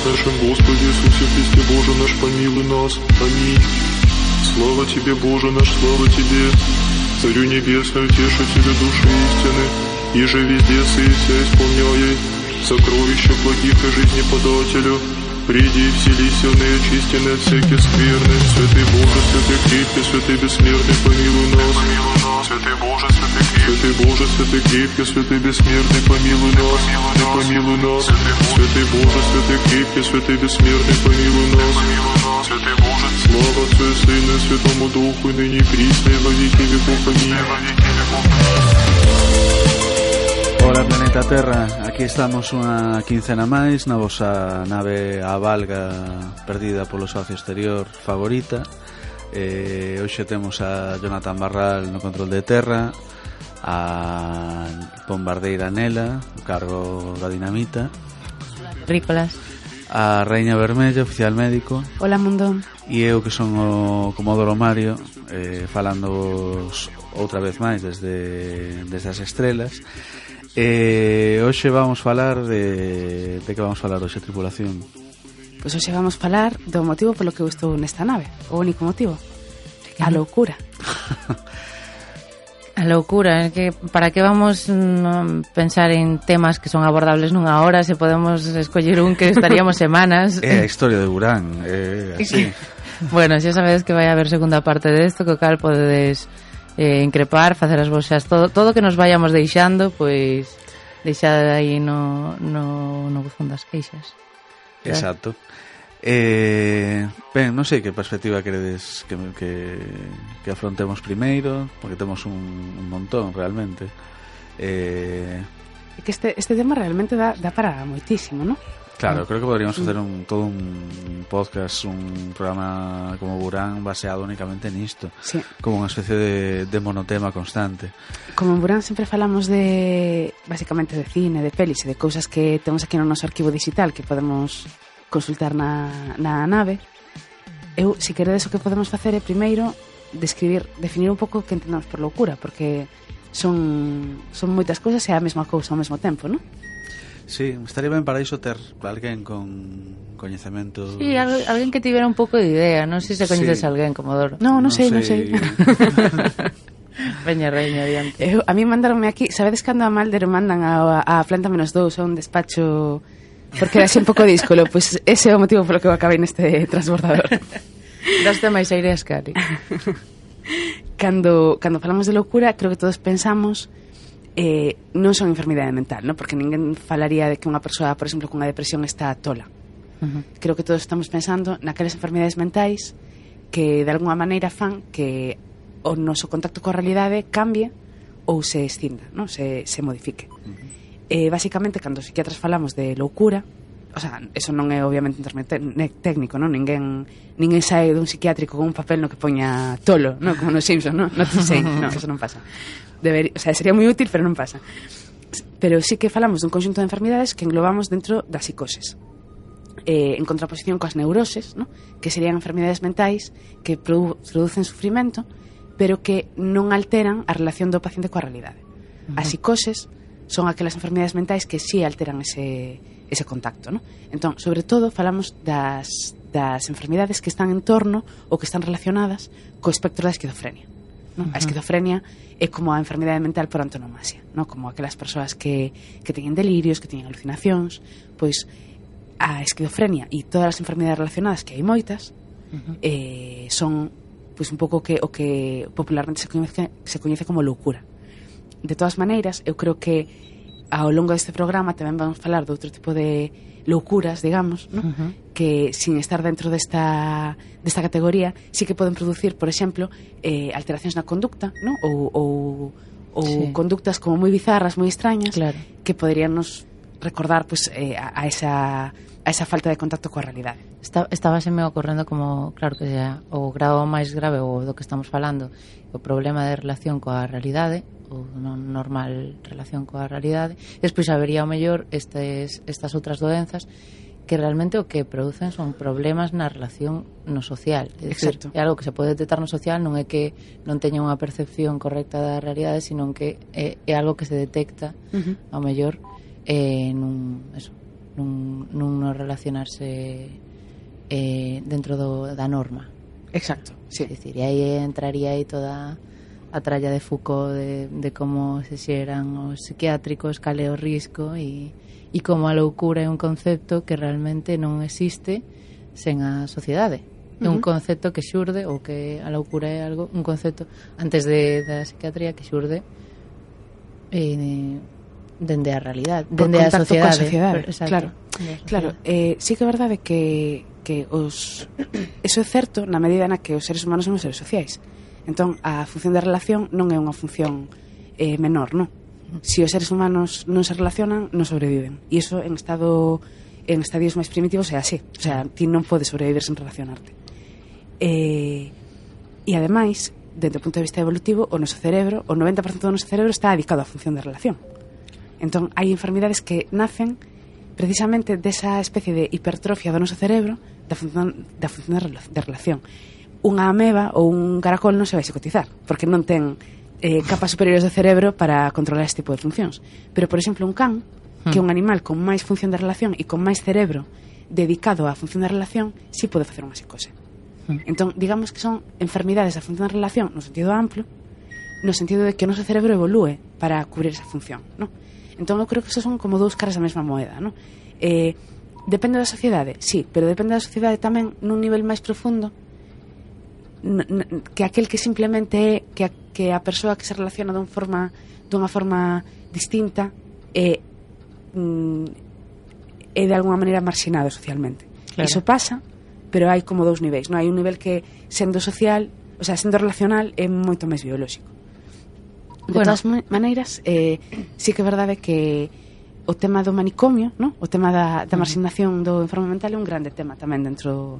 нашем Господе Иисусе Христе, Боже наш, помилуй нас. Аминь. Слава Тебе, Боже наш, слава Тебе, Царю Небесный, Утешителю души истины, иже везде сыся исполняй сокровища благих и жизни подателю. Приди и вселися в неочистенные от всяких скверны. Святый Боже, святый крепкий, святый бессмертный, помилуй нас. Святый Боже, святый крепкий, святый бессмертный, помилуй нас. Помилуй нас. Святый Боже, святый крепкий, святый бессмертный, помилуй нас. Святый Боже, слава Отцу и Сыну и Святому Духу, и ныне и присно, и во веки веков. Аминь. Hola Planeta Terra, aquí estamos unha quincena máis na vosa nave a valga perdida polo espacio exterior favorita. Hoxe temos a Jonathan Barral no control de terra, a bombardeira Nela, o cargo da dinamita, Rícolas, a Raíña Vermella, oficial médico. Hola mundo. E eu que son o Comodoro Mario, falando outra vez máis desde as estrelas. Hoxe vamos falar de que vamos falar hoxe, tripulación? Pois hoxe vamos falar do motivo polo que eu estou nesta nave. O único motivo, a loucura. A loucura, é que para que vamos pensar en temas que son abordables nunha hora se podemos escoller un que estaríamos semanas. É a historia de Burán, así. Bueno, xa sabedes que vai haber segunda parte desto, que o cal podedes increpar, facer as vosas, todo que nos vayamos deixando, pois deixad aí no buzón das queixas. Exacto. Ben, non sei que perspectiva queredes que afrontemos primeiro, porque temos un montón realmente. Que este tema realmente dá para moitísimo, non? Claro, creo que podríamos facer todo un podcast, un programa como Burán baseado únicamente nisto, sí. Como unha especie de monotema constante. Como en Burán sempre falamos básicamente de cine, de pelis e de cousas que temos aquí no noso arquivo digital que podemos consultar na nave. Eu, se queredes, o que podemos facer é primeiro definir un pouco o que entendamos por loucura, porque son moitas cousas e a mesma cousa ao mesmo tempo, non? Sí, estaría ben para iso ter alguén con coñecemento. Sí, alguén que tivera un pouco de idea. Non sei se coñeces alguén, Comodoro. Non sei. Veña, adiante. A mí mandaronme aquí, sabedes cando a Malder mandan a Planta -2 a un despacho porque era así un pouco díscolo, pois ese é o motivo polo que eu acabei neste transbordador. Daste máis aire a Scary. Cando falamos de loucura, creo que todos pensamos non son enfermidade mental, ¿no? Porque ninguén falaría de que unha persoa, por exemplo, con unha depresión está tola. Creo que todos estamos pensando naquelas enfermidades mentais que de alguma maneira fan que o noso contacto coa realidade cambie ou se escinda, ¿no? se modifique. Básicamente, cando os psiquiatras falamos de loucura, o sea, eso non é obviamente un termo técnico, non? Ninguén sae dun psiquiátrico con un papel no que poña tolo, non? Como nos Simpsons, non? Non te sei, non, eso non pasa. O sea, sería moi útil, pero non pasa. Pero sí que falamos dun conxunto de enfermidades que englobamos dentro das psicoses. En contraposición coas neuroses, ¿no? Que serían enfermidades mentais que producen sufrimento, pero que non alteran a relación do paciente coa realidade. As psicoses son aquelas enfermidades mentais que sí alteran ese contacto, ¿no? Entón, sobre todo, falamos das enfermidades que están en torno ou que están relacionadas co espectro da esquizofrenia, ¿no? A esquizofrenia é como a enfermidade mental por antonomasia, ¿no? Como aquelas persoas que teñen delirios, que teñen alucinacións, pois a esquizofrenia e todas as enfermidades relacionadas, que hai moitas, son pois un pouco o que popularmente se coñece como loucura. De todas maneiras, eu creo que ao longo deste programa tamén vamos falar de outro tipo de loucuras, digamos, ¿no? Que sin estar dentro desta categoría sí que poden producir, por exemplo, alteracións na conducta, ¿no? ou sí, conductas como moi bizarras, moi extrañas, claro, que poderían nos recordar pues, a esa falta de contacto coa realidade. Estábaseme ocorrendo como, claro que sea o grado máis grave ou do que estamos falando, o problema de relación coa realidade, ou non normal relación coa realidade. Despois habería o mellor estas outras doenzas que realmente o que producen son problemas na relación no social. É dicir, é algo que se pode detectar no social, non é que non teña unha percepción correcta da realidade, sino que é algo que se detecta ao mellor non relacionarse dentro da norma. Exacto, sí. É dicir, e aí entraría aí toda a tralla de Foucault de como se xeran os psiquiátricos, cal é o risco e como a loucura é un concepto que realmente non existe sen a sociedade. É un concepto que xurde, ou que a loucura é algo, un concepto antes da psiquiatría que xurde dende a realidade, dende a sociedade. Claro, sí que é verdade que eso é certo na medida na que os seres humanos son os seres sociais. Entón, a función de relación non é unha función menor, non? Se os seres humanos non se relacionan, non sobreviven. E iso en estadios máis primitivos é así. O sea, ti non podes sobrevivir sen relacionarte. E ademais, desde o punto de vista evolutivo, o noso cerebro, o 90% do noso cerebro está dedicado á función de relación. Entón, hai enfermidades que nacen precisamente desa especie de hipertrofia do noso cerebro da función de relación. Unha ameba ou un caracol non se vai psicotizar porque non ten capas superiores do cerebro para controlar este tipo de funcións. Pero, por exemplo, un can, que é un animal con máis función de relación e con máis cerebro dedicado á función de relación, sí pode facer unha psicose. Entón, digamos que son enfermidades da función de relación no sentido amplo, no sentido de que o noso cerebro evolúe para cubrir esa función, non? Entón, eu creo que esos son como dous caras da mesma moeda, non? Depende da sociedade, sí, pero depende da sociedade tamén nun nivel máis profundo que aquel que simplemente é que a persoa que se relaciona dunha forma distinta é de alguma maneira marxinado socialmente. Claro. Iso pasa, pero hai como dous niveis, non? Hai un nivel que sendo social, o sea, sendo relacional é moito máis biolóxico. De todas maneiras, sí que é verdade que o tema do manicomio, non? O tema da marxinación do enfermo mental é un grande tema tamén dentro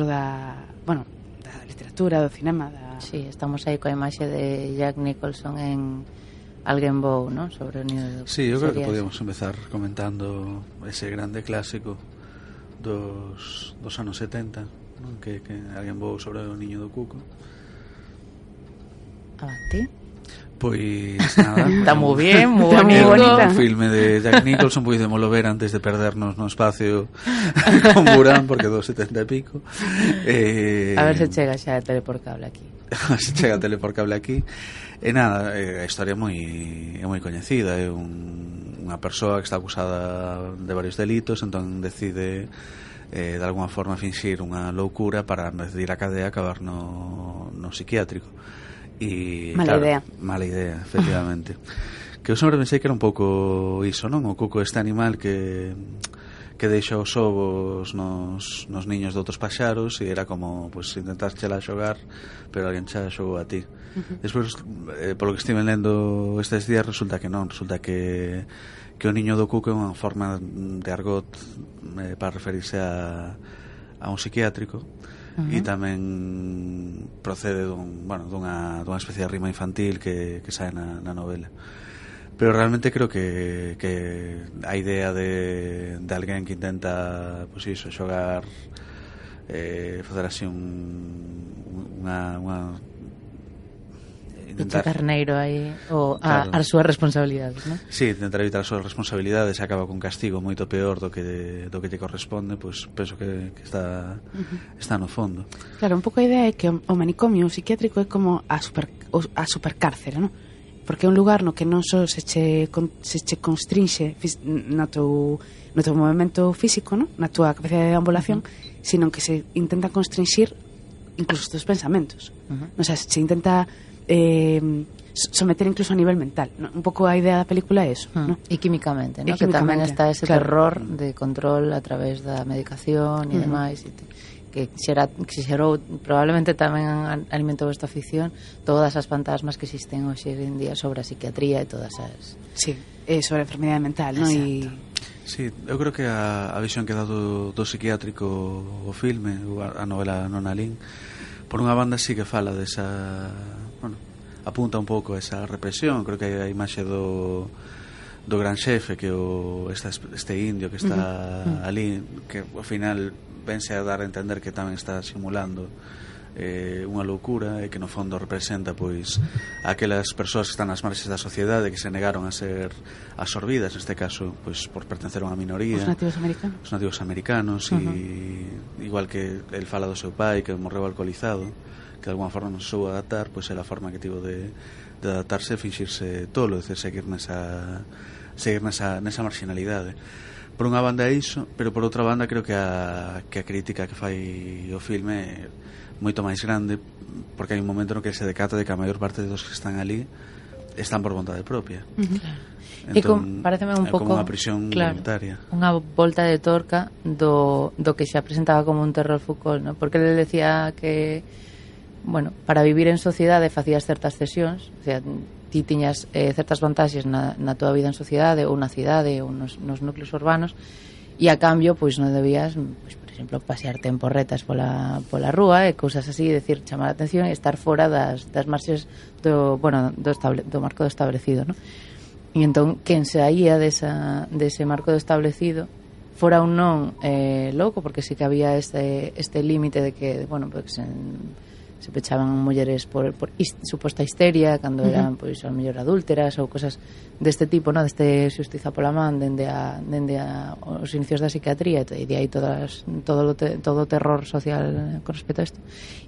da, bueno, da literatura, do cinema, Sí, estamos aí coa imaxe de Jack Nicholson en Alguén Vou, non? Sobre o niño. Sí, eu creo que podíamos empezar comentando ese grande clásico dos anos 70, non? Que Alguén Vou sobre o niño do cuco. Avante. Pois nada, está moi bien, moi bonita. Un filme de Jack Nicholson, podímoslo ver antes de perdernos no espacio con Burán, porque do 70 e pico. A ver se chega xa a tele por cable aquí. Se chega a tele por cable aquí. E nada, a historia é moi coñecida. É unha persoa que está acusada de varios delitos, entón decide de alguma forma finxir unha loucura para, en vez de ir a cadea, acabar no psiquiátrico. E, mala idea, efectivamente. Que eu sempre pensei que era un pouco iso, non? O cuco, este animal que deixa os ovos nos niños de outros paxaros, e era como, pues, intentar chela xogar, pero alguén xa xogou a ti. Despois, polo que estive lendo estes días, resulta que non, resulta que o niño do cuco é unha forma de argot para referirse a un psiquiátrico. E tamén procede dunha especie de rima infantil que sae na novela. Pero realmente creo que a idea de alguén que intenta, pues iso, xogar, facer así unha intentar carneiro aí as súas responsabilidades, non? Sí, intentar evitar as súas responsabilidades e acaba con castigo moito peor do que te corresponde, pois penso que está no fondo. Claro, un pouco a idea é que o manicomio psiquiátrico é como a supercárcere, non? Porque é un lugar no que non só se che constrinxe no teu movimento físico, non? Na túa capacidade de ambulación, sino que se intenta constrinxir incluso os teus pensamentos. O sea, se intenta someter incluso a nivel mental, ¿no? Un pouco a idea da película é eso, ¿no? E químicamente, ¿no? Que tamén está ese terror de control a través da medicación e demais, que xerou probablemente tamén alimentou esta afición, todas as fantasmas que existen hoxe en día sobre a psiquiatría e todas as... Sí, sobre a enfermidade mental, ¿no? Sí, eu creo que a visión que dá do psiquiátrico o filme, a novela Nona Lin, por unha banda sí que fala desa... Bueno, apunta un pouco a esa represión. Creo que hai a imaxe do gran xefe, que este indio que está ali, que ao final vense a dar a entender que tamén está simulando unha loucura, e que no fondo representa pois aquelas persoas que están nas marxes da sociedade, que se negaron a ser absorbidas, neste caso pois por pertencer a unha minoría, os nativos americanos, e igual que el fala do seu pai que morreu alcoholizado, que de alguma forma non se soubo adaptar, pois é a forma que tivo de adaptarse e finxirse tolo, é dicir, seguir nesa marginalidade. Por unha banda é iso, pero por outra banda creo que a crítica que fai o filme é moito máis grande, porque hai un momento no que se decata de que a maior parte dos que están ali están por vontade propia. Entón, pareceme un pouco como unha prisión voluntaria, unha volta de torca do que xa presentaba como un terror Foucault, ¿no? Porque ele decía que, bueno, para vivir en sociedade facías certas cesións, o sea, ti tiñas certas vantaxes na tua vida en sociedade ou na cidade ou nos núcleos urbanos, e a cambio pois non debías, pois, por exemplo, pasearte en porretas pola rúa e cousas así, decir, chamar a atención e estar fora das marxes do marco do establecido, ¿no? E entón, quen saía dese marco do establecido fora un non louco, porque sí que había este límite de que, bueno, pues se pechaban mulleres por suposta histeria cando eran, pois, ao mellor adúlteras ou cosas deste tipo, no? Deste xustiza pola man dende os inicios da psiquiatría, e de aí todo o terror social con respecto a isto.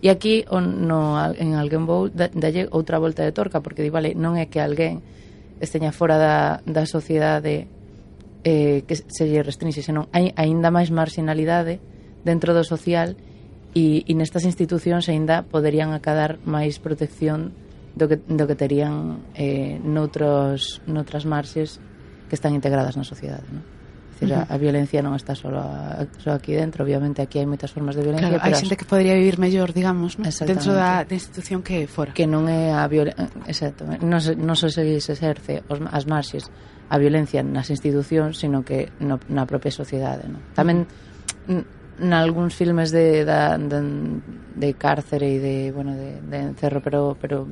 E aquí en Alguén Vou dalle outra volta de torca, porque di, vale, non é que alguén esteña fora da sociedade que se lle restrinxe, senón hai aínda máis marginalidade dentro do social, e nestas institucións aínda poderían acadar máis protección do que terían noutras marxes que están integradas na sociedade, ¿no? É dicir, a violencia non está só aquí dentro, obviamente aquí hai moitas formas de violencia, claro, hai xente que podría vivir mellor, digamos, ¿no? Dentro da institución que fora, que non é a violencia, exacto, non só se exerce as marxes a violencia nas institucións, sino que na propia sociedade, ¿no? Tamén nalgúns filmes de cárcere e de encerro, pero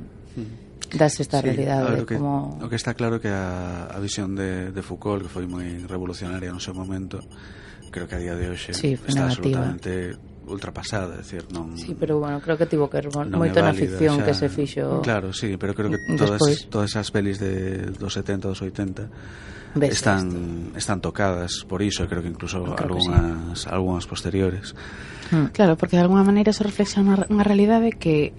das esta realidade, claro, o que está claro que a visión de Foucault, que foi moi revolucionaria no seu momento, creo que a día de hoxe está absolutamente ultrapasada, é dicir, non. Sí, pero bueno, creo que tivo que ver moito na ficción que se fixo. Claro, sí, pero creo que todas esas pelis dos 70, dos 80 están tocadas por iso, e creo que incluso algunhas posteriores. Claro, porque de alguna maneira se reflexiona unha realidade que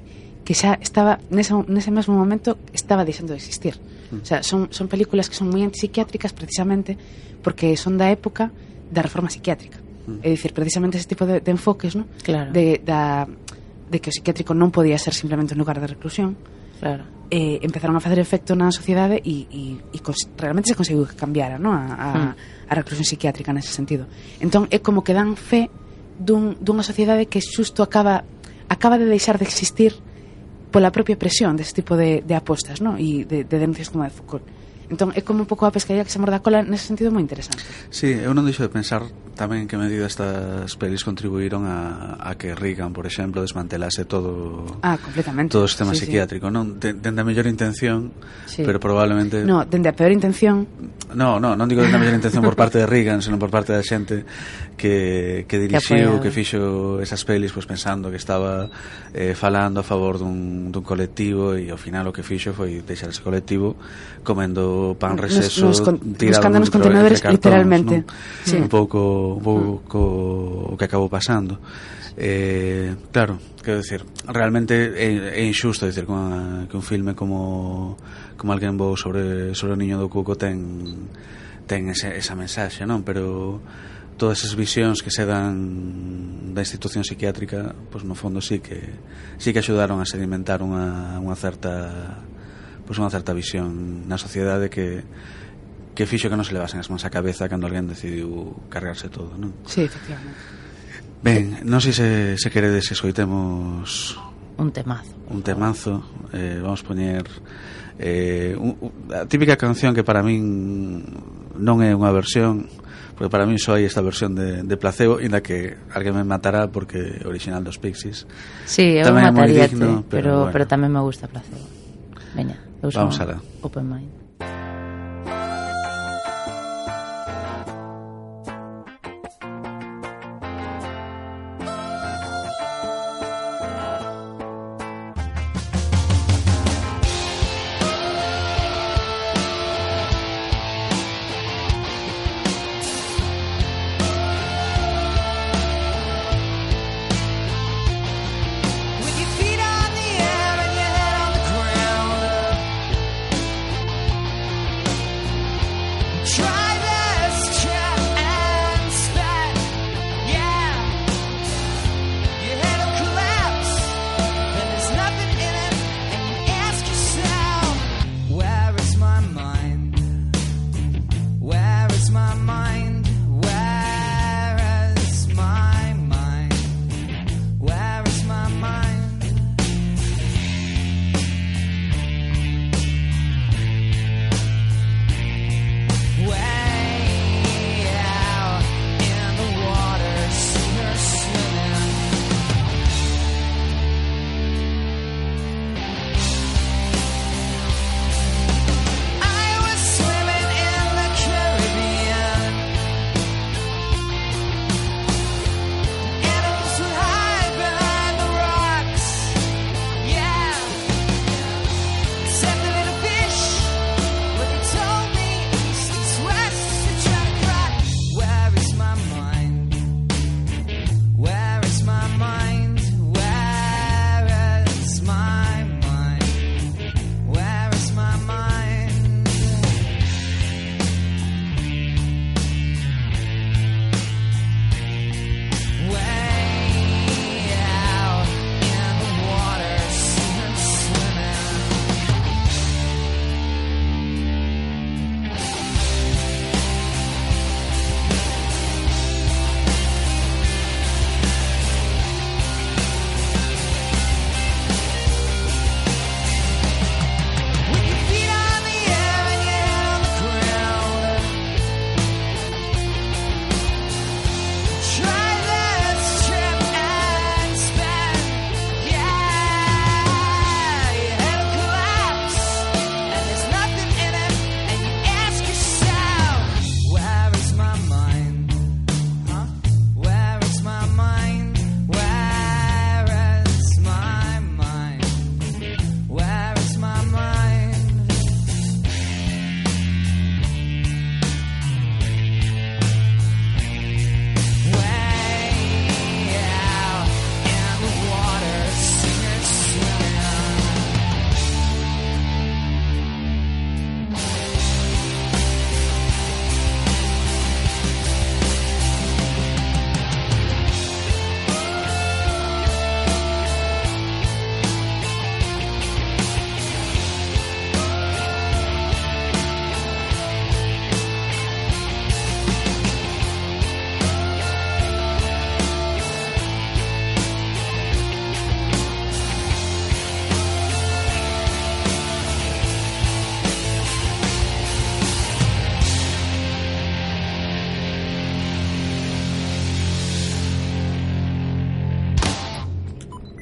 xa estaba nese mesmo momento estaba deixando de existir. O sea, son películas que son moi antipsiquiátricas precisamente porque son da época da reforma psiquiátrica. É dicir, precisamente ese tipo de enfoques, ¿no? Claro. De que o psiquiátrico non podía ser simplemente un lugar de reclusión. Claro. Empezaron a facer efecto na sociedade e realmente se conseguiu que cambiara, ¿no? a reclusión psiquiátrica nese sentido. Entón é como que dan fe dunha sociedade que xusto acaba de deixar de existir pola propia presión desse tipo de apostas, ¿no? E de denuncias como a de Foucault. Entón é como un pouco a pescaría que se morda a cola, nese sentido moi interesante. Sí, eu non deixo de pensar tamén en que medida estas pelis contribuíron a que Reagan, por exemplo, desmantelase todo completamente todo o sistema psiquiátrico, non? Dende a mellor intención, pero probablemente dende a peor intención. Non digo dende a mellor intención por parte de Reagan, senón por parte da xente que dirixiu, que fixo esas pelis, pois pensando que estaba falando a favor dun colectivo, e ao final o que fixo foi deixar ese colectivo comendo pan receso buscando nos contenedores literalmente, ¿no? Sí. Un pouco o que acabou pasando. Claro, quero decir, realmente é injusto decir que un filme como Alguén Vou sobre o niño do Cuco ten esa mensaxe, non? Pero todas esas visións que se dan da institución psiquiátrica, pois no fondo sí que axudaron a sedimentar unha certa visión na sociedade que fixo que non se levasen as mans á cabeza cando alguén decidiu cargarse todo, non? Sí, efectivamente. Ben, non sei se queredes escoitemos un temazo. Vamos poñer a típica canción que para min non é unha versión, porque para min só hai esta versión de Placebo, inda que alguén me matará porque é original dos Pixies. Sí, eu mataríate, pero tamén me gusta Placebo. Veña, vamos alá. Open Mind.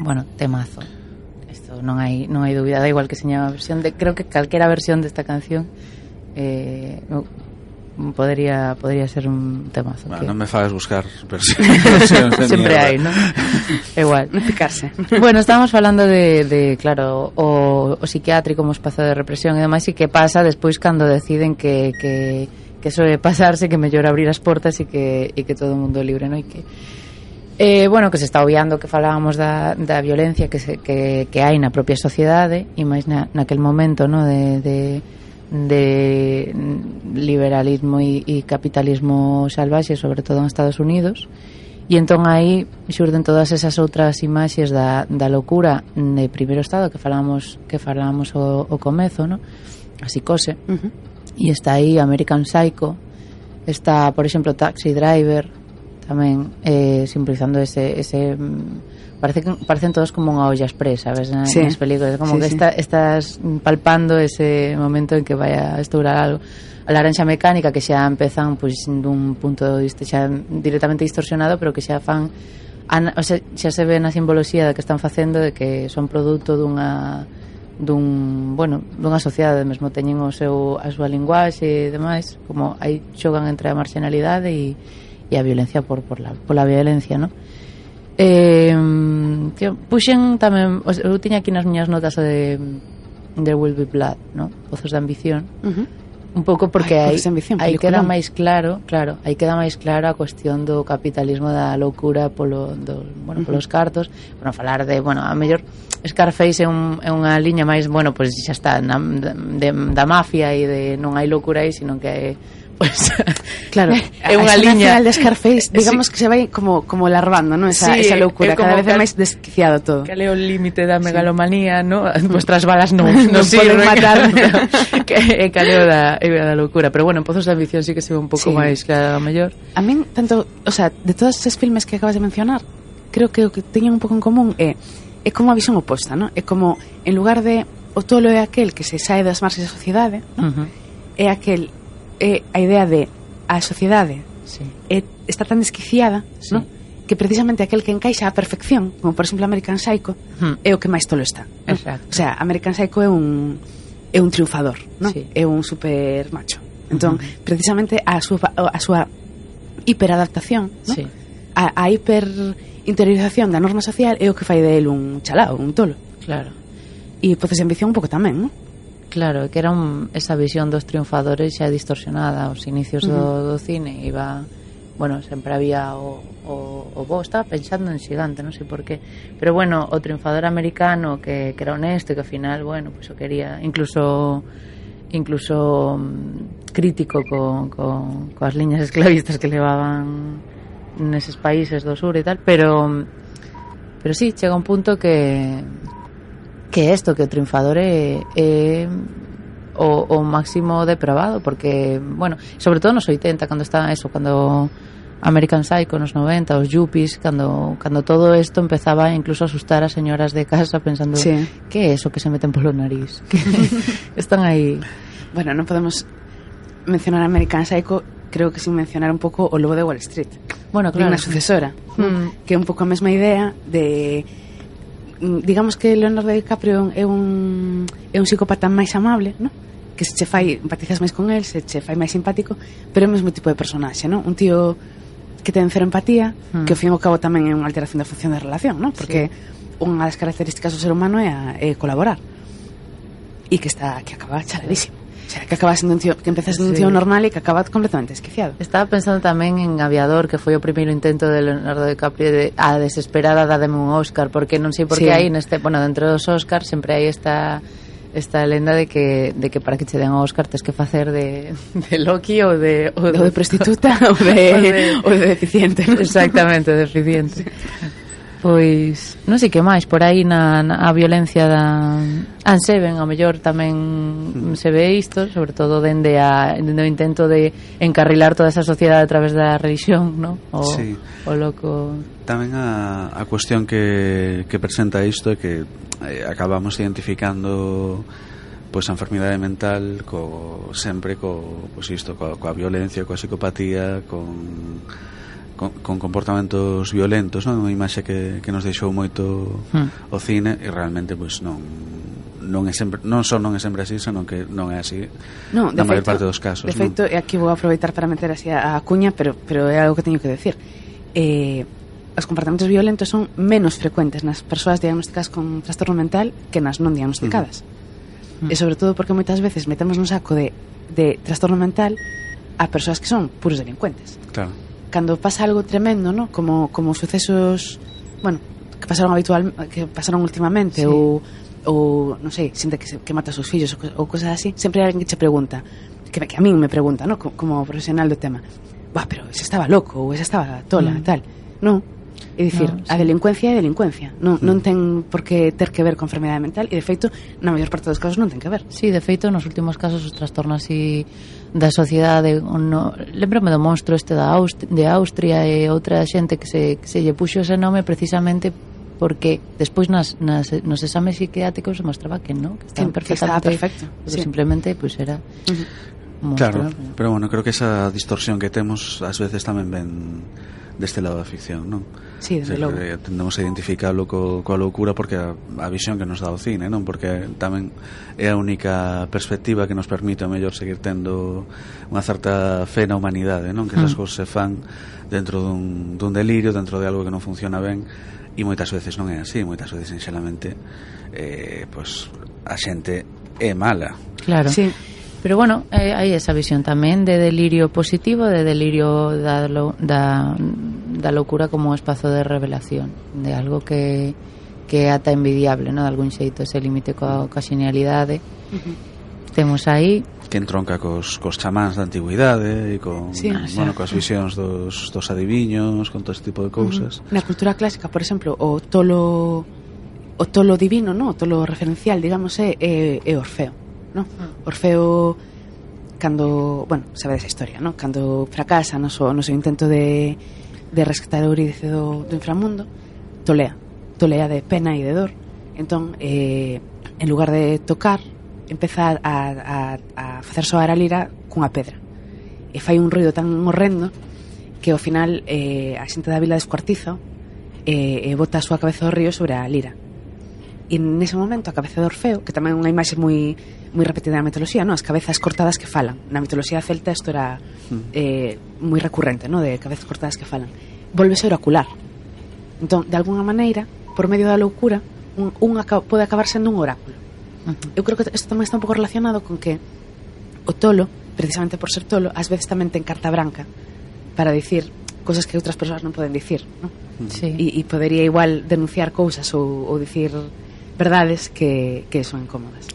bueno, temazo. Isto non hai dúbida, da igual que seña a versión de, creo que calquera versión desta canción podría ser un temazo. Bueno, que... non me fagas buscar versións de sempre mierda. hai, non? Igual. Non picarse. Bueno, estábamos falando de claro, o psiquiátrico como espazo de represión e demais, e que pasa despois cando deciden que soe pasarse, que mellor abrir as portas e que todo o mundo é libre, non? E que bueno, que se está obviando que falábamos da violencia que hai na propia sociedade e máis naquel momento, no, de liberalismo e capitalismo salvaxe, sobre todo en Estados Unidos, e entón aí xurden todas esas outras imaxes da locura de primeiro estado que falábamos o comezo, no? A psicose. E está aí American Psycho, está, por exemplo, Taxi Driver tamén, simbolizando ese parecen todos como unha olla express, sabes, nas películas, como sí, que estás palpando ese momento en que vai a estourar algo. A Laranxa Mecánica, que xa empezan pois dun punto de vista xa directamente distorsionado, pero que xa fan o sea, xa se ve na simboloxía da que están facendo, de que son produto dunha sociedade mesmo, teñen a súa linguaxe e demais, como aí xogan entre a marginalidade e a violencia pola violencia, ¿no? Puxen tamén, eu tiña aquí nas miñas notas de There Will Be Blood, ¿no? Pozos de ambición. Un pouco porque aí queda máis claro, aí queda máis claro a cuestión do capitalismo, da loucura polos cartos. Bueno, falar de, a mellor Scarface é unha liña máis, pois xa está da mafia e de non hai loucura aí, sino que hai pues, claro, é unha liña de Scarface, digamos sí, que se vai como larvando, ¿no? Esa loucura, cada vez é máis desquiciado todo. Que é o límite da megalomanía, ¿no? Vuestras balas non poden matar. Que caleo da loucura, pero bueno, en Pozos de ambición sí que se ve un pouco máis claro, a mellor. A min, tanto, o sea, de todos esos filmes que acabas de mencionar, creo que o que teñen un pouco en común é como a visión oposta, ¿no? É como, en lugar de o tolo é aquel que se sae das marxes da sociedade, ¿no? É aquel a idea de a sociedade está tan desquiciada, ¿no? Que precisamente aquel que encaixa a perfección, como por exemplo American Psycho, é o que máis tolo está, ¿no? O sea, American Psycho é un triunfador, ¿no? É un super macho. Entón, precisamente a súa hiperadaptación, ¿no? A hiperinteriorización da norma social é o que fai de él un chalao, un tolo. Claro. E Pozos de ambición un pouco tamén, ¿no? Claro, que era esa visión dos triunfadores xa distorsionada aos inicios do cine. Iba, sempre había o estaba pensando en Xigante, non sei por qué, pero o triunfador americano que era honesto e que ao final, pues o quería, incluso crítico coas liñas esclavistas que levaban neses países do sur e tal, pero sí, chega un punto que isto, que o triunfador é o máximo depravado, porque, sobre todo nos 80, cando está eso, cando American Psycho, nos 90, os yuppies, cando todo isto empezaba incluso a asustar a señoras de casa pensando, que é eso que se meten polo nariz? Están aí. Bueno, non podemos mencionar American Psycho, creo que sin mencionar un pouco o Lobo de Wall Street. Bueno, claro. Unha sucesora, que é un pouco a mesma idea de... digamos que Leonardo DiCaprio é un psicópata máis amable, ¿no? Que se che fai, empatizas máis con él, se che fai máis simpático, pero é o mesmo tipo de personaxe, ¿no? Un tío que ten cero empatía, que ao fin e ao cabo tamén é unha alteración da función da relación, ¿no? Porque unha das características do ser humano é colaborar, e que acaba chaladísimo. O sea, que acaba sendo un tío, que empeza sendo un tío normal e que acaba completamente desquiciado. Estaba pensando tamén en Aviador, que foi o primeiro intento de Leonardo DiCaprio de a desesperada dádeme un Óscar, porque non sei por que hai dentro dos Óscar sempre hai esta lenda de que para que che den o Óscar tes que facer de Loki ou de prostituta ou de deficiente, ¿no? Exactamente, deficiente. Pois, non sei que máis, por aí a violencia da Anseven, ao mellor tamén se ve isto, sobre todo dende o intento de encarrilar toda esa sociedade a través da religión, ¿no? O loco. Tamén a cuestión que presenta isto é que acabamos identificando pois a enfermidade mental coa violencia, coa psicopatía, con comportamentos violentos, non? Unha imaxe que nos deixou moito o cine, e realmente pois non é sempre, non é sempre así, senón que non é así na maior parte dos casos. De feito, e aquí vou aproveitar para meter así a cuña, pero é algo que teño que decir. Os comportamentos violentos son menos frecuentes nas persoas diagnosticadas con trastorno mental que nas non diagnosticadas. E sobre todo porque moitas veces metemos un saco de trastorno mental a persoas que son puros delincuentes. Claro. Cando pasa algo tremendo, ¿no? Como sucesos, bueno, que pasaron últimamente, sí. ou non sei, xente que mata os seus fillos ou cosas así, sempre hai alguén que che pregunta, que a min me pregunta, ¿no? Como profesional do tema, pero ese estaba loco ou ese estaba tola e tal. Non, é dicir, a delincuencia é delincuencia, non ten por que ter que ver con enfermidade mental, e de feito na maior parte dos casos non ten que ver. Sí, de feito nos últimos casos os trastornos así da sociedade, lembrame do monstro este de Austria e outra xente que se lle puxo ese nome precisamente porque despois nos exames psiquiátricos se mostraba que non, que estaban perfectamente, perfecto, sí. Simplemente pues era monstro. Claro, pero bueno, creo que esa distorsión que temos ás veces tamén ven deste lado da ficción, non? Sí, desde logo. Tendemos a identificarlo coa loucura porque a visión que nos dá o cine, non? Porque tamén é a única perspectiva que nos permite a mellor seguir tendo unha certa fe na humanidade, non? Que esas cousas se fan dentro dun delirio, dentro de algo que non funciona ben, e moitas veces non é así, moitas veces sinxelamente pois a xente é mala. Claro. Sí. Pero bueno, hai esa visión tamén de delirio positivo, de delirio da loucura como un espazo de revelación, de algo que é ata envidiable, ¿no? De algún xeito, ese límite coa xenialidade. Temos aí que entronca cos chamáns da antigüidade e coas visións dos adiviños, con todo este tipo de cousas. Na cultura clásica, por exemplo, o tolo divino, ¿no? O tolo referencial, digamos, é Orfeo, ¿no? Orfeo, cando, bueno, sabedes a historia, ¿no? Cando fracasa no seu intento de rescatar a Eurídice do inframundo, tolea de pena e de dor. Entón, en lugar de tocar, empeza a facer soar a lira cunha pedra, e fai un ruido tan horrendo que ao final a xente da vila descuartiza e bota a súa cabeza ao río sobre a lira. E nese momento a cabeza de Orfeo, que tamén é unha imaxe moi repetida na mitoloxía, ¿no? As cabezas cortadas que falan. Na mitoloxía celta isto era moi recurrente, ¿no? De cabezas cortadas que falan. Volvese oracular. Entón, de alguna maneira, por medio da loucura, pode acabar sendo un oráculo. Eu creo que isto tamén está un pouco relacionado con que o tolo, precisamente por ser tolo, ás veces tamén ten carta branca para dicir cousas que outras persoas non poden dicir, ¿no? Sí. E podería igual denunciar cousas ou dicir verdades que son incómodas.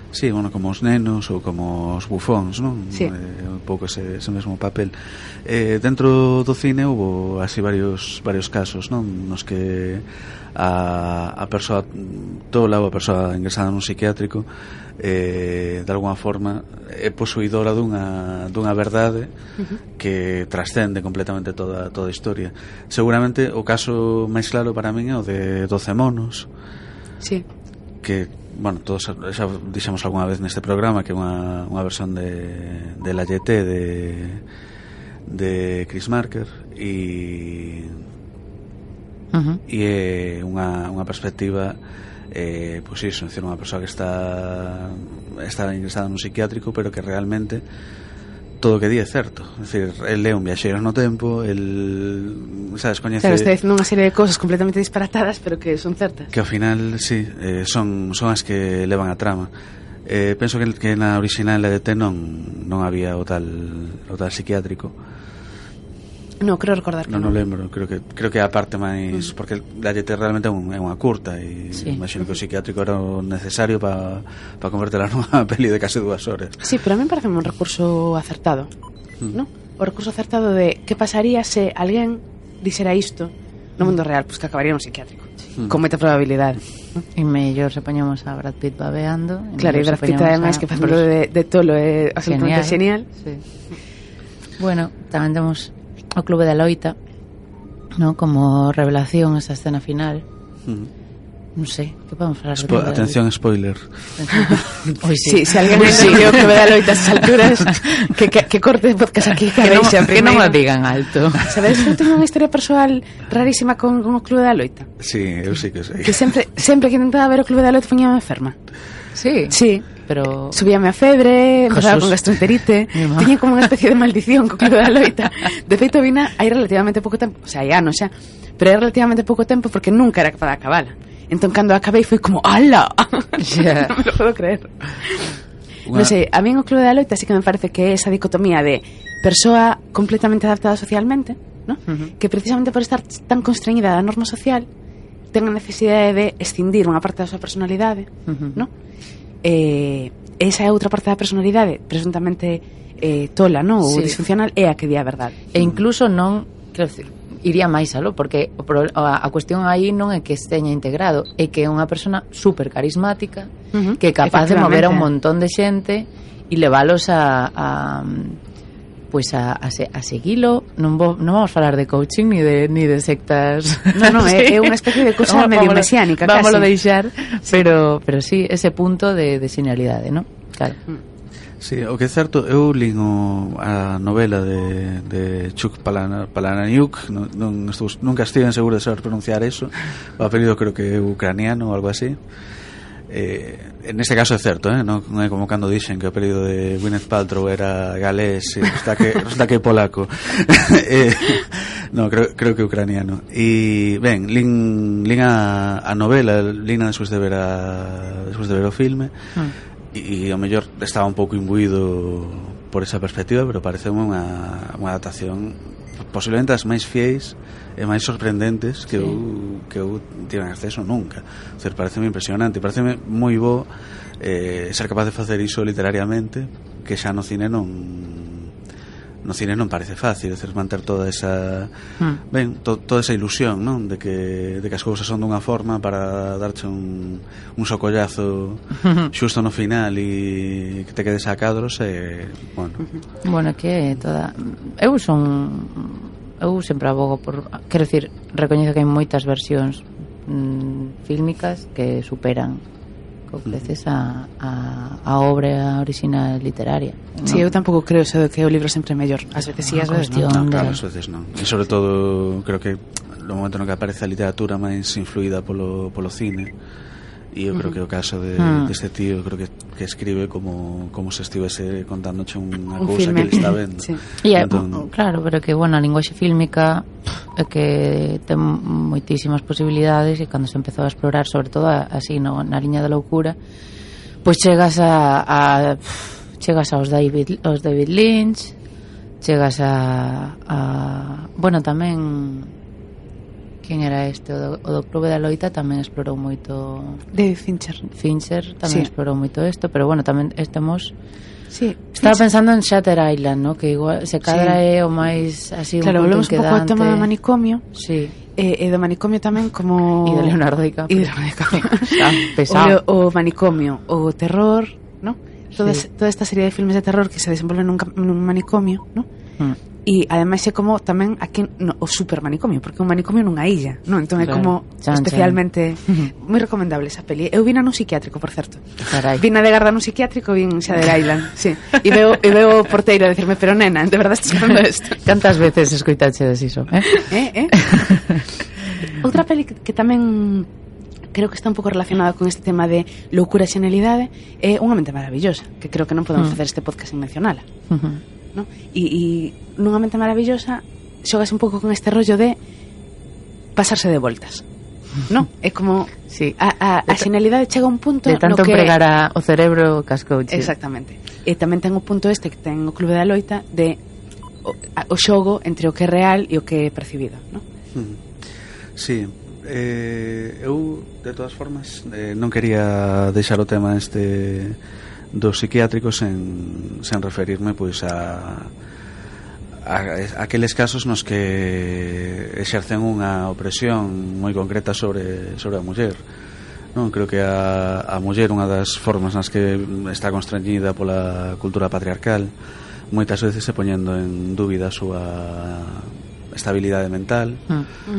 Sí, bueno, como os nenos ou como os bufóns, non? Sí. Un pouco ese mesmo papel. Dentro do cine houve así varios casos, non? Nos que a persoa tola ou a persoa ingresada nun psiquiátrico de alguna forma é posuidora dunha verdade que trascende completamente toda a historia. Seguramente o caso máis claro para min é o de 12 monos. Sí. Que, bueno, todos xa dixemos algunha vez neste programa que é unha versión de La Jetée de Chris Marker e é unha perspectiva pois iso, é dicir, unha persoa que está ingresada nun psiquiátrico pero que realmente todo o que di é certo, é dicir, el é un viaxeiro no tempo, el, sabes, coñece... Claro, está dicindo unha serie de cousas completamente disparatadas pero que son certas. Que ao final, sí, son as que levan a trama. Penso que na original de T non había o tal psiquiátrico. No, creo recordar que non lembro, creo que é a parte máis porque la Jetée realmente é unha curta e imagino que o psiquiátrico era o necesario para convertela nunha peli de case 2 horas. Sí, pero a mí parece un recurso acertado, ¿no? O recurso acertado de que pasaría se alguén dixera isto no mundo real, pois que acabaría un psiquiátrico con moita probabilidade, ¿no? E mellor se poñamos a Brad Pitt babeando. Claro, e Brad Pitt ademais que facendo de tolo é absolutamente genial. Sí. Bueno, tamén temos o Clube da Loita, ¿no? Como revelación esa escena final Non sei, que podemos falar de Atención, spoiler. Sí, se alguén entendió que me da loita a esas alturas, que corte de podcast aquí, que non o digan alto. Sabedes que eu tenho unha historia persoal rarísima con o Clube da Loita? Sí, eu sí que sei. Que sempre que intentaba ver o Clube da Loita poñíame enferma. Sí. Sí. Pero subíame a febre, empezaba con gastroenterite, tiña como unha especie de maldición co Clube da Loita. De feito vina hai relativamente pouco tempo, o sea, hai anos xa, pero hai relativamente pouco tempo porque nunca era capaz de acabala. Entón cando acabei foi como ¡ala! Yeah. Non me lo puedo creer. Non sei, a mí o Clube da Loita sí que me parece que é esa dicotomía de persoa completamente adaptada socialmente, ¿no? Que precisamente por estar tan constreñida da norma social ten a necesidade de escindir unha parte da súa personalidade, ¿no? Esa é outra parte da personalidade presuntamente tola, ¿no? Ou disfuncional é a que di a verdade. E incluso non, quero decir, iría máis aló, porque a cuestión aí non é que esteña integrado, é que é unha persona super carismática, que é capaz de mover a un montón de xente e leválos a seguilo. Non vamos falar de coaching ni de sectas. Non, é unha especie de cousa medio mesiánica, casi. Vámoslo deixar, pero sí, ese punto de genialidade, ¿no? Claro. Sí, o que é certo, eu lín a novela de Chuck Palahniuk, nunca estive seguro de saber pronunciar eso, o apelido creo que é ucraniano ou algo así. En este caso é certo, non é como cando dixen que o apelido de Gwyneth Paltrow era galés e resulta que é polaco. No, creo que é ucraniano. E ben, lín a novela, lín despois de ver o filme. E ao mellor estaba un pouco imbuído por esa perspectiva, pero pareceume unha adaptación posiblemente as máis fiéis e máis sorprendentes que eu tive acceso nunca. O sea, pareceme impresionante, pareceme moi bo ser capaz de facer iso literariamente, que xa no cine non parece fácil, decir, manter toda esa toda esa ilusión, non? De que as cousas son dunha forma para darche un socollazo xusto no final e que te quedes a cadros bueno, que toda eu sempre abogo por, quero dicir, recoñezo que hai moitas versións fílmicas que superan veces a obra original literaria, ¿no? Sí, eu tampouco creo eso de que o libro sempre é mellor. Ás veces sí, ás veces non. Claro, ás veces non. E sobre todo, creo que no momento no que aparece a literatura máis influída polo cine, e eu creo que o caso deste tío, creo que escribe como se estivese contándoche unha cousa que ele está vendo. Sí. Claro, pero que, bueno, a linguaxe fílmica é que ten moitísimas posibilidades, e cando se empezou a explorar, sobre todo así na liña da loucura, pois chegas aos David Lynch, chegas a bueno, tamén quen era este, o do Clube da Loita tamén explorou moito. David Fincher tamén explorou moito isto, pero bueno, tamén estamos. Sí, estaba pensando en Shutter Island, ¿no? Que igual se cadra é o máis así, claro, un pouco inquietante. Claro, volvemos un pouco ao tema do manicomio. Sí. E do manicomio tamén como... E de Leonardo DiCaprio. Pesado. O manicomio, o terror, ¿no? Toda esta serie de filmes de terror que se desenvolven nun manicomio, ¿no? E ademais é como tamén aquí o super manicomio, porque é un manicomio nunha illa, non? Entón é como especialmente moi recomendable esa peli. Eu vina nun psiquiátrico, por certo. Vina de garda nun psiquiátrico, vin Shutter Island, sí. E veo o porteiro a decirme, pero nena, de verdade estás falando isto? Cantas veces escoitaches iso, Outra peli que tamén creo que está un pouco relacionada con este tema de loucura e xenialidade é Unha mente maravillosa, que creo que non podemos facer este podcast sin mencionala. ¿No? E nunha mente maravillosa xogas un pouco con este rollo de pasarse de voltas, ¿no? É como a xenialidade chega a un punto de tanto no que empregar o cerebro cascouche. Exactamente. E tamén ten o punto este que ten o Clube da Loita de o xogo entre o que é real e o que é percibido, ¿no? Sí. Eu, de todas formas, non quería deixar o tema dos psiquiátricos sen referirme pois a aqueles casos nos que exercen unha opresión moi concreta sobre a muller, non? Creo que a muller, unha das formas nas que está constreñida pola cultura patriarcal, moitas veces se poñendo en dúbida a súa estabilidade mental.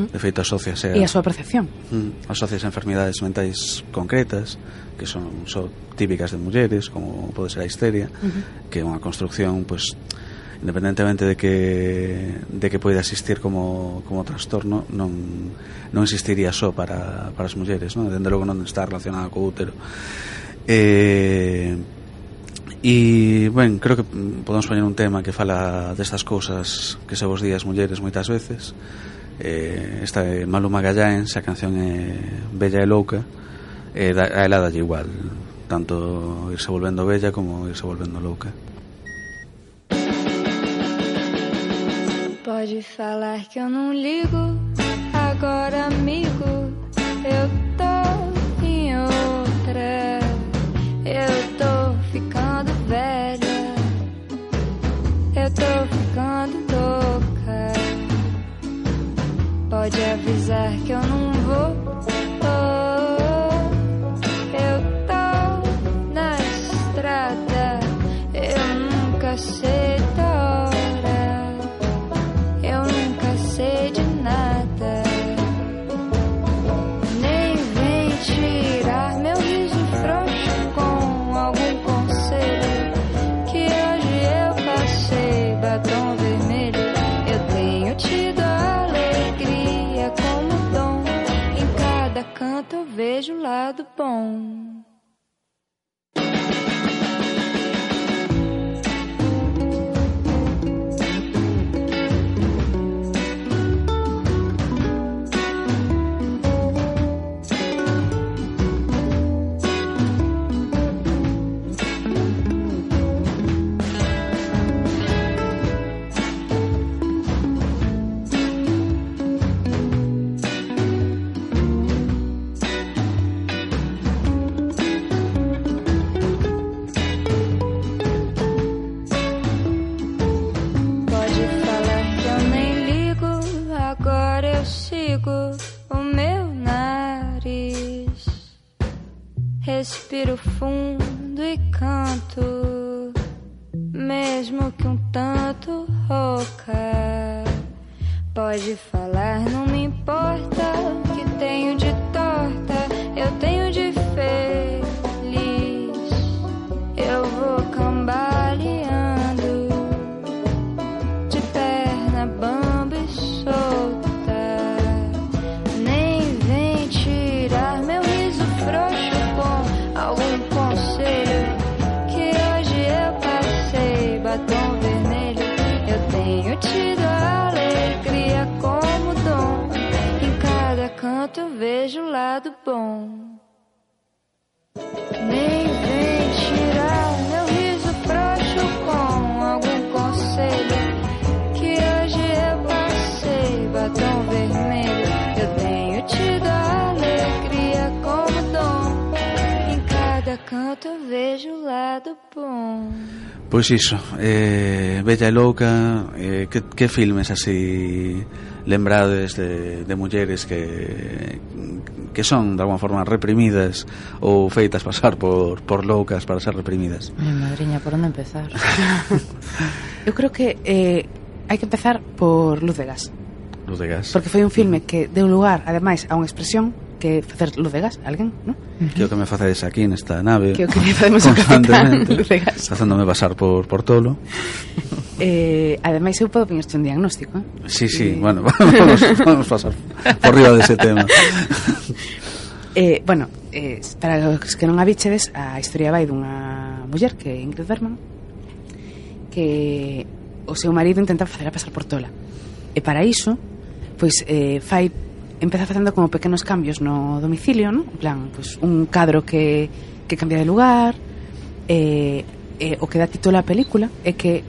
De feito, asociase e a súa percepción. Asociase a enfermidades mentais concretas que son típicas de mulleres, como pode ser a histeria, que é unha construcción, pois, independentemente de que poida existir como trastorno, non existiría só para as mulleres, non? Dende logo non está relacionada co útero. E, ben, creo que podemos poñer un tema que fala destas cousas que se vos di as mulleres moitas veces. Esta é Maluma Gallaens, a canción é Bella e Louca, a ela dalle igual tanto irse volvendo bella como irse volvendo louca. Pode falar que eu não ligo, agora amigo, eu tô em outra. Eu tô ficando velha, eu tô ficando louca. Pode avisar que eu não vou. Eu tô na estrada, eu nunca sei da hora, eu nunca sei de nada. Nem vem tirar meu riso frouxo com algum conselho, que hoje eu passei batom vermelho. Eu tenho tido a alegria como dom, em cada canto eu vejo o lado bom. Respiro fundo e canto, mesmo que um tanto rouca. Pode falar, não me importa o que tenho de torta, eu tenho de feliz. Eu vou cambaleando, de perna bamba e solta. Nem vem tirar meu riso frouxo com algum conselho, que hoje eu passei batom vermelho. Eu tenho tido a alegria como dom, em cada canto eu vejo o lado bom. Nem vem tirar meu riso frouxo com algum conselho, que hoje eu passei batom vermelho. Eu tenho tido a alegria como dom, em cada canto eu vejo o lado bom. Pois iso, Bella e Louca, que filmes así lembrades de mulleres que son de alguma forma reprimidas ou feitas pasar por loucas para ser reprimidas? Madriña, por onde empezar? Eu creo que hai que empezar por Luz de Gas. Luz de Gas. Porque foi un filme que deu lugar, ademais, a unha expresión que facer luz de gas, alguén, non? Que o que me facedes aquí nesta nave que o que me facemos constantemente luz de gas, facéndome pasar por tolo. Ademais eu podo poñerte un diagnóstico, Sí, bueno, vamos pasar por riba dese tema. Bueno, para os que non a bichedes, a historia vai dunha muller que é Ingrid Bergman, que o seu marido intenta facela pasar por tola, e para iso pois empeza facendo como pequenos cambios no domicilio, ¿no? En plan, pues, un cadro que cambia de lugar, o que dá título á película é que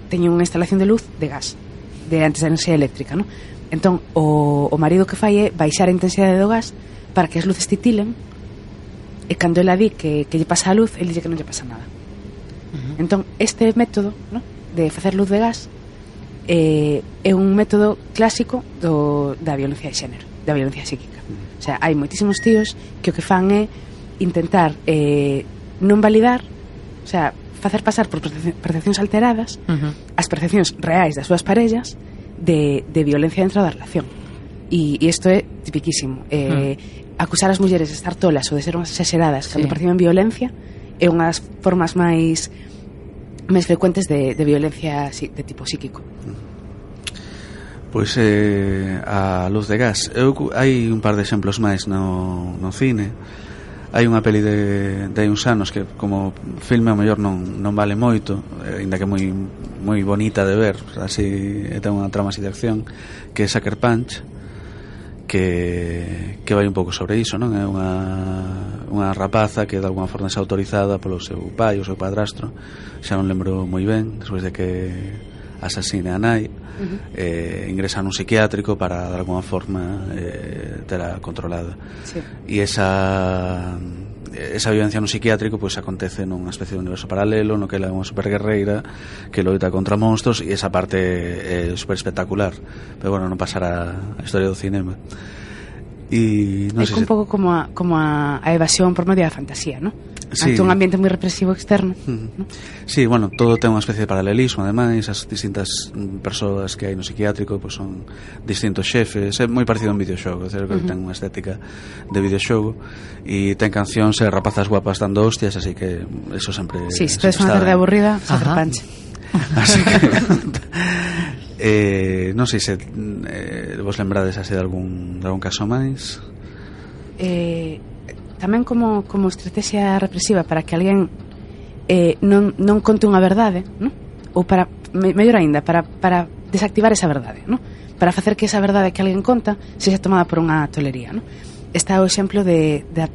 teñen unha instalación de luz de gas, de antes da enerxía eléctrica, ¿no? Entón, o marido que fai é baixar a intensidade do gas para que as luces titilen, e cando ela di que lle pasa a luz, ele dice que non lle pasa nada. Entón, este método, ¿no?, de facer luz de gas é un método clásico da violencia de xénero, da violencia psíquica. O sea, hai moitísimos tíos que o que fan é intentar non validar, o sea, facer pasar por percepcións alteradas as percepcións reais das súas parellas de violencia dentro da relación. E isto é tipiquísimo. Acusar as mulleres de estar tolas ou de ser unhas exageradas cando perciben violencia é unha das formas máis frecuentes de violencia de tipo psíquico. Pois a luz de gas. Hai un par de exemplos máis no cine. Hai unha peli de hai uns anos que como filme ao mellor non vale moito, ainda que moi bonita de ver, así ten unha trama así de acción, que é Sucker Punch, que vai un pouco sobre iso, non? É unha rapaza que de alguma forma é autorizada polo seu pai ou seu padrastro, xa non lembro moi ben, despois de que asasine a nai, ingresa nun psiquiátrico para de alguma forma tela controlada. E esa vivencia no psiquiátrico pois acontece nunha especie de universo paralelo no que ela é unha superguerreira que loita contra monstros, e esa parte é super espectacular, pero bueno, non pasará a historia do cinema. E non sei un pouco como a evasión por medio da fantasía, non? Ante un ambiente moi represivo externo, ¿no? Sí, bueno, todo ten unha especie de paralelismo. Ademais, as distintas persoas que hai no psiquiátrico pois son distintos xefes. É moi parecido a un videoxogo, que ten unha estética de videoxogo, e ten cancións e rapazas guapas dando hostias, así que eso sempre... Sí, se tedes unha tarde aburrida, Sucker Punch. Así que non sei se vos lembrades así de algún caso máis. Tamén como estrategia represiva para que alguén non conte unha verdade, ¿no? Ou para, mellor aínda, para desactivar esa verdade, ¿no? Para facer que esa verdade que alguén conta sexa tomada por unha tolería, ¿no? Está o exemplo da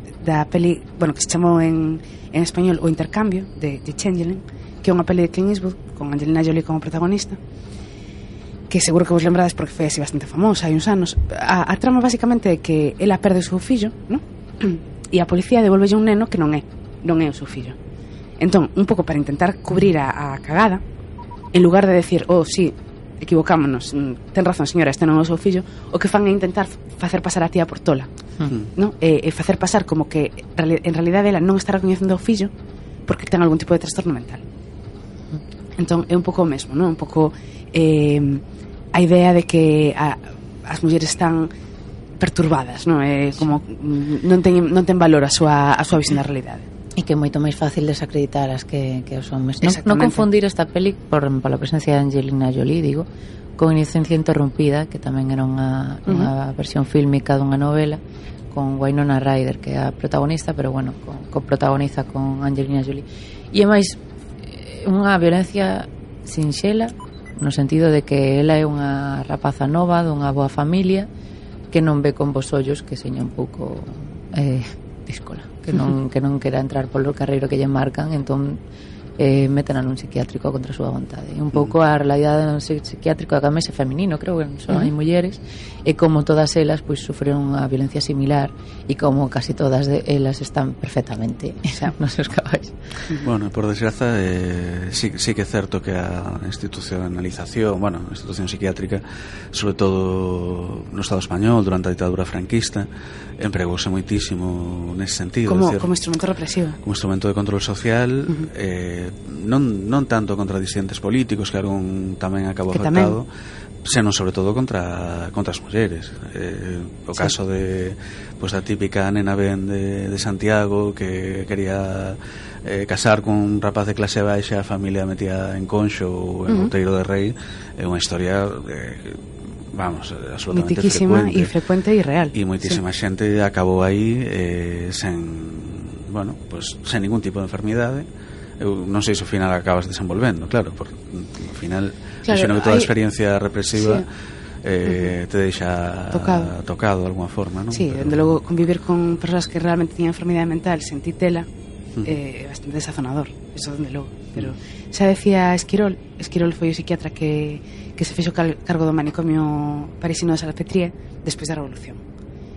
peli, bueno, que se chamou en español O Intercambio, de Changeling, que é unha peli de Clint Eastwood con Angelina Jolie como protagonista, que seguro que vos lembrades porque foi así bastante famosa hai uns anos. A trama basicamente é que ela perde o seu fillo, ¿no? E a policía devolvelle un neno que non é o seu fillo. Entón, un pouco para intentar cubrir a cagada, en lugar de decir, sí, equivocámonos, ten razón señora, este non é o seu fillo, o que fan é intentar facer pasar a tía por tola, ¿no? E facer pasar como que en realidade ela non está recoñecendo o fillo porque ten algún tipo de trastorno mental. Entón, é un pouco o mesmo, non? Un pouco a idea de que as mulleres están perturbadas, non? É como non ten valor a súa visión da realidade. E que é moito máis fácil desacreditar as que os homes. Non confundir esta peli pola presencia de Angelina Jolie, digo, con Inocencia Interrumpida, que tamén era unha versión fílmica dunha novela con Winona Ryder, que é a protagonista, pero bueno, protagoniza con Angelina Jolie. E é máis unha violencia sinxela, no sentido de que ela é unha rapaza nova dunha boa familia que non ve con vos ollos que seña un pouco díscola, que non quera entrar polo carreiro que lle marcan, entón métena nun psiquiátrico contra a súa vontade. E un pouco a realidade do psiquiátrico da camese feminino, creo que son hai mulleres, e como todas elas pois sufreron unha violencia similar, e como casi todas elas están perfectamente nos seus cabais. Bueno, por desgraza sí que é certo que a institucionalización, a institución psiquiátrica, sobre todo no Estado español durante a ditadura franquista, empregouse moitísimo nese sentido, como instrumento represivo, como instrumento de control social, non tanto contra disidentes políticos, que algún tamén acabou afectado, senón sobre todo contra as mulleres. O caso de da típica nena ben de Santiago que quería casar con un rapaz de clase baixa, a familia metía en Conxo ou en Outeiro de Rei. É unha historia absolutamente frecuente e real, e moitísima xente acabou aí sen ningún tipo de enfermidade. Eu non sei se ao final acabas desenvolvendo, claro, porque ao final que toda a experiencia represiva te deixa tocado de alguna forma, non? Sí, dende logo convivir con persoas que realmente tiñan enfermidade mental sen titela é bastante desazonador, eso dende logo. Pero xa decía Esquirol foi o psiquiatra que se fixo cargo do manicomio parisino de Salpêtrière despois da Revolución.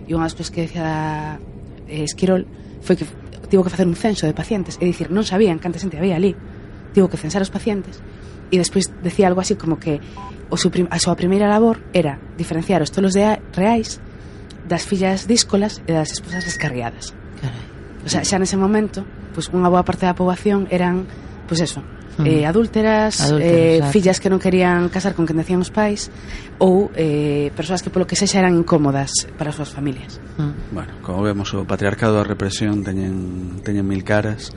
E unha das cousas que decía Esquirol foi que tivo que facer un censo de pacientes, é dicir, non sabían canta xente había ali, tivo que censar os pacientes, e despois decía algo así como que a súa primeira labor era diferenciar os tolos reais das fillas díscolas e das esposas descarriadas. O sea, xa nese momento, unha boa parte da poboación eran, adúlteras, fillas que non querían casar con quen decían os pais, ou persoas que polo que sexa eran incómodas para as súas familias. Bueno, como vemos, o patriarcado e a represión teñen mil caras,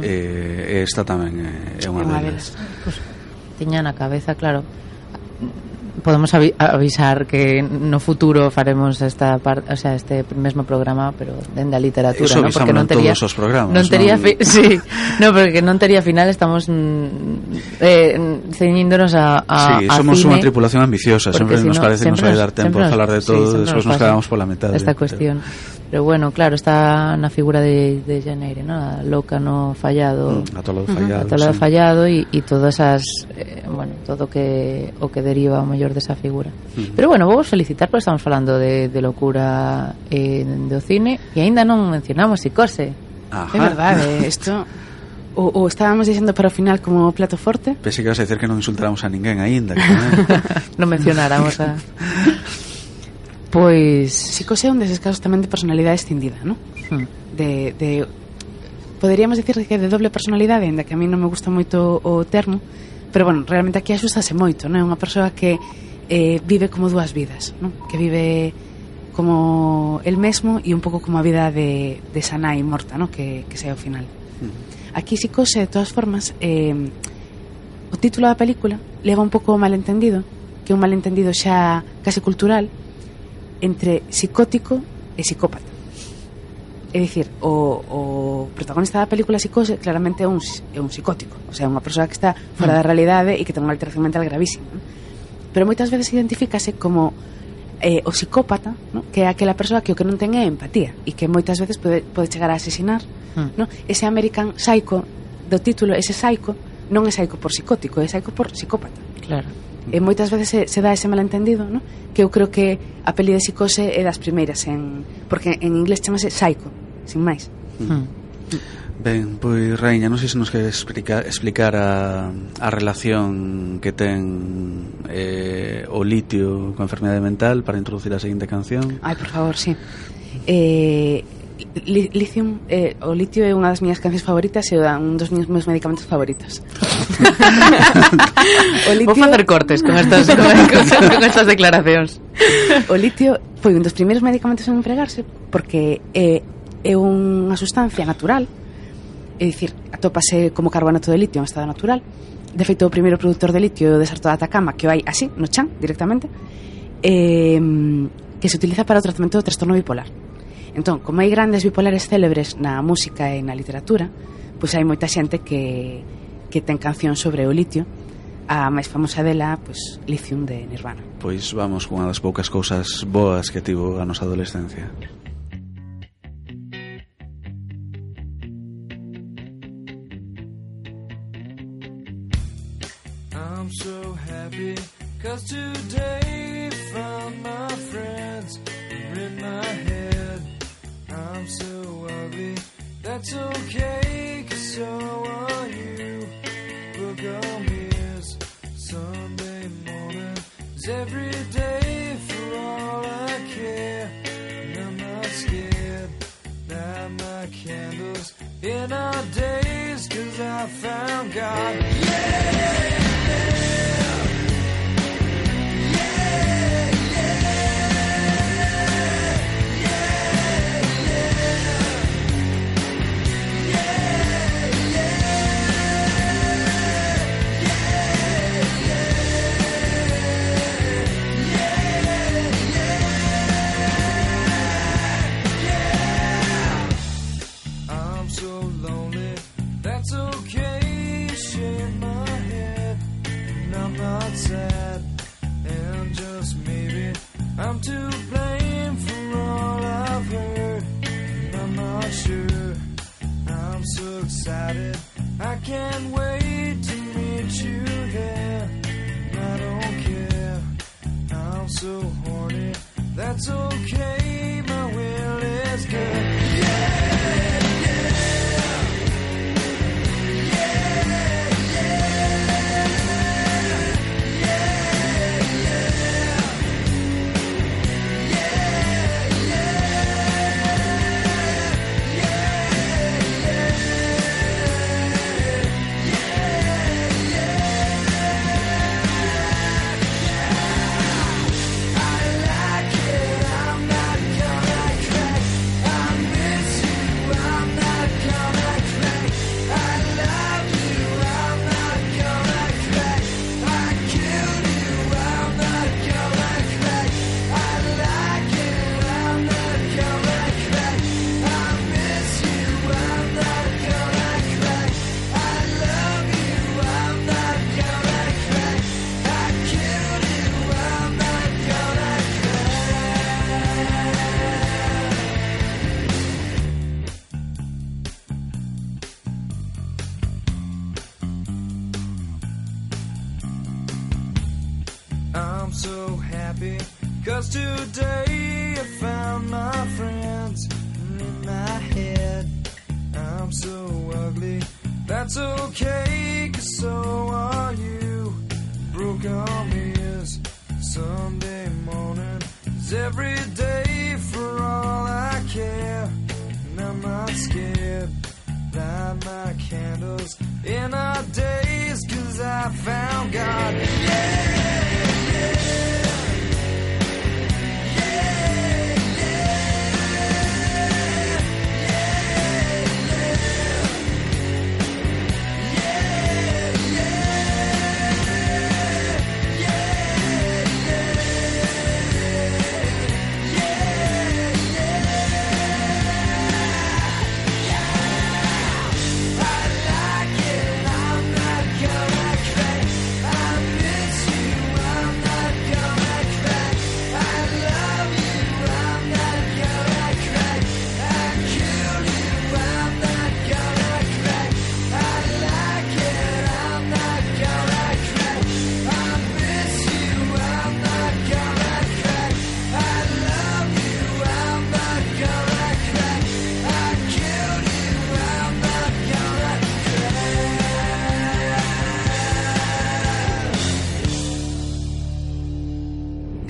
e esta tamén é unha delas. Pues, tiña na cabeza, claro, podemos avisar que no futuro faremos esta parte, o sea, este mesmo programa, pero dende a literatura, eso, ¿no? Porque non tería todos os programas, non tería sí, no, porque non tería final, estamos ceñíndonos sí, somos cine, unha tripulación ambiciosa, sempre nos parece que nos vai dar tempo a falar de todo, despois nos quedamos pola metade. Esta cuestión. Pero bueno, claro, está na figura de Janeire, ¿no? A loca no fallado, atolado fallado, atolado fallado e todas esas bueno, todo o que deriva o mellor desa figura. Pero bueno, vou felicitar porque estamos falando de locura do cine e aínda non mencionamos Psicose. É verdade, isto o estábamos dicindo para o final como plato forte. Pensei que ibas a dicer que non insultáramos a ninguén aínda, que non mencionáramos a pois Psicose é un deses casos tamén de personalidade escindida, ¿no? De poderíamos dicir que de doble personalidade, ainda que a mí non me gusta moito o termo, pero bueno, realmente aquí axustase moito, non é unha persoa que vive como dúas vidas, ¿no? Que vive como el mesmo e un pouco como a vida de Sanai morta, ¿no? Que sei ao final. Aquí Psicose, de todas formas, o título da película leva un pouco o malentendido, que é un malentendido xa casi cultural, entre psicótico e psicópata. É dicir, o protagonista da película Psicose claramente é un psicótico, o sea, unha persoa que está fora da realidade e que ten unha alteración mental gravísima, ¿no? Pero moitas veces identifícase como o psicópata, ¿no? Que é aquela persoa que o que non ten é empatía e que moitas veces pode chegar a asesinar, ¿no? Ese American Psycho do título, ese psycho non é psycho por psicótico, é psycho por psicópata. Claro. E moitas veces se dá ese malentendido, ¿no? Que eu creo que a peli de Psicose é das primeiras porque en inglés chamase Psycho, sin máis. Ben, pois Raíña, non sei se nos queres explicar a relación que ten o litio coa enfermedade mental para introducir a seguinte canción. Ai, por favor, sí. Lithium, o litio é unha das miñas cancións favoritas e un dos meus medicamentos favoritos. O litio... Vou facer cortes con estas declaracións. O litio foi un dos primeiros medicamentos en empregarse porque é unha sustancia natural, é dicir, atópase como carbonato de litio en estado natural. De feito, o primeiro produtor de litio é o deserto de Atacama, que o hai así, no chan, directamente, que se utiliza para o tratamento do trastorno bipolar. Entón, como hai grandes bipolares célebres na música e na literatura, pois hai moita xente que ten cancións sobre o litio. A máis famosa dela, pois, Lithium de Nirvana. Pois vamos con unha das poucas cousas boas que tivo a nosa adolescencia. I'm so happy 'cause today found my friends in my head. I'm so ugly, that's okay, 'cause so are you. Look on mirrors, Sunday morning is every day for all I care. And I'm not scared, light my candles in our days, 'cause I found God. Yeah! That's okay, shake my head, and I'm not sad, and just maybe I'm to blame for all I've heard, and I'm not sure. I'm so excited, I can't wait to meet you there, and I don't care, I'm so horny, that's okay, my will is good. Yeah! so happy, 'cause today I found my friends. And in my head, I'm so ugly. That's okay, 'cause so are you. Broke arm is Sunday morning. It's every day for all I care. And I'm not scared. Light my candles in our days, 'cause I found God.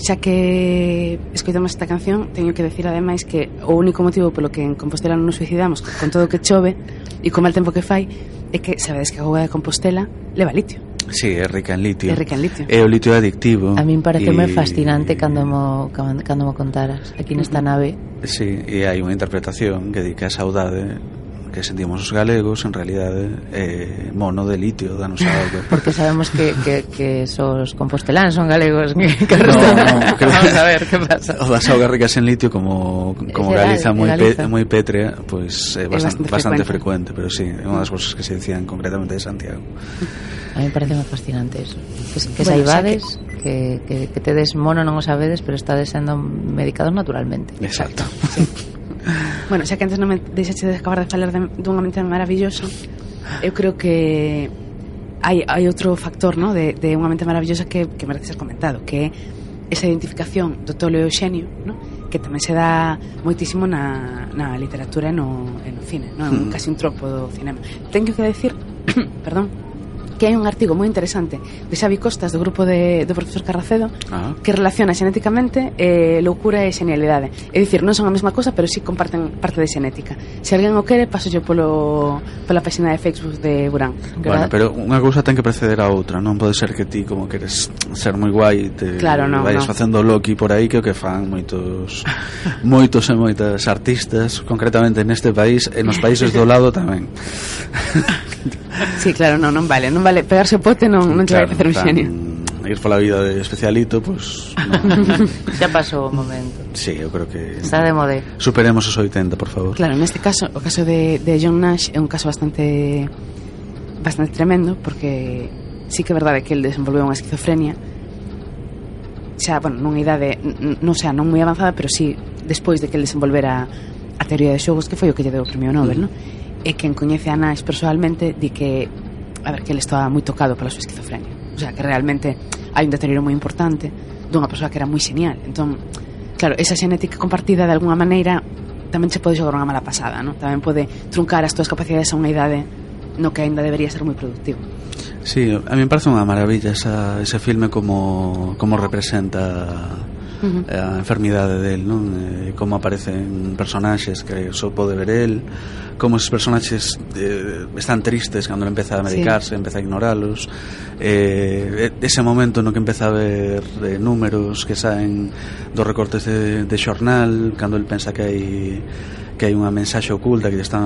Xa que escoitamos esta canción, teño que decir ademais que o único motivo polo que en Compostela non nos suicidamos con todo o que chove e co mal tempo que fai é que sabedes que a auga de Compostela leva litio. Sí, é rica en litio. É rica en litio. E o litio é adictivo. A min pareceme fascinante cando mo contaras aquí nesta nave. Sí, e hai unha interpretación que di que a saudade que sentimos os galegos en realidade é mono de litio da nosa auga. Porque sabemos que os compostelanos son galegos que No, vamos a ver que pasa. O das augas ricas en litio como Galiza moi pétrea, pois é bastante frecuente, pero sí, é unha das cousas que se dicían concretamente de Santiago. A mí parece moi fascinante eso. Que saibades que tedes mono non o sabedes, pero estades sendo medicados naturalmente. Exacto. Sí. Bueno, xa que antes non me deixaste de acabar de falar dunha mente maravillosa, eu creo que hai outro factor, ¿no? de unha mente maravillosa que merece ser comentado, que é esa identificación do tolo e o xenio, ¿no? Que tamén se dá moitísimo na literatura e no cine, ¿no? Casi un tropo do cinema. Teño que decir perdón, que hai un artigo moi interesante de Xavi Costas do grupo do profesor Carracedo que relaciona xenéticamente loucura e xenialidade. É dicir, non son a mesma cosa, pero sí comparten parte de xenética. Se alguén o quere, paso yo pola página de Facebook de Burán. Bueno, pero unha cousa ten que preceder a outra. Non pode ser que ti, como queres ser moi guai, te vayas facendo Loki por aí, que o que fan moitos e moitas artistas, concretamente neste país e nos países do lado tamén. Sí, claro, non vale pegarse o pote, non te vai facer un xenio. Ir pola vida de especialito, pues xa pasou o momento. Sí, eu creo que está de mode. Superemos os 80, por favor. Claro, neste caso, o caso de John Nash é un caso bastante tremendo, porque sí que é verdade que el desenvolveu unha esquizofrenia xa, bueno, nunha idade non moi avanzada, pero sí despois de que el desenvolvera a teoría de xogos, que foi o que lle deu o premio Nobel, non? E quen coñece a Nash personalmente di que, a ver, que ele estaba moi tocado pola súa esquizofrenia, o sea, que realmente hai un deterioro moi importante dunha persoa que era moi genial. Entón, claro, esa xenética compartida de alguna maneira tamén se pode xogar unha mala pasada, ¿no? Tamén pode truncar as túas capacidades a unha idade no que ainda debería ser moi productivo. Sí, a mí me parece unha maravilla ese filme como representa a enfermidade del, non? Como aparecen personaxes que só pode ver el, como esos personaxes están tristes cando empeza a medicarse, empeza a ignoralos, ese momento no que empeza a ver números que saen dos recortes de xornal, cando el pensa que hai unha mensaxe oculta que lle está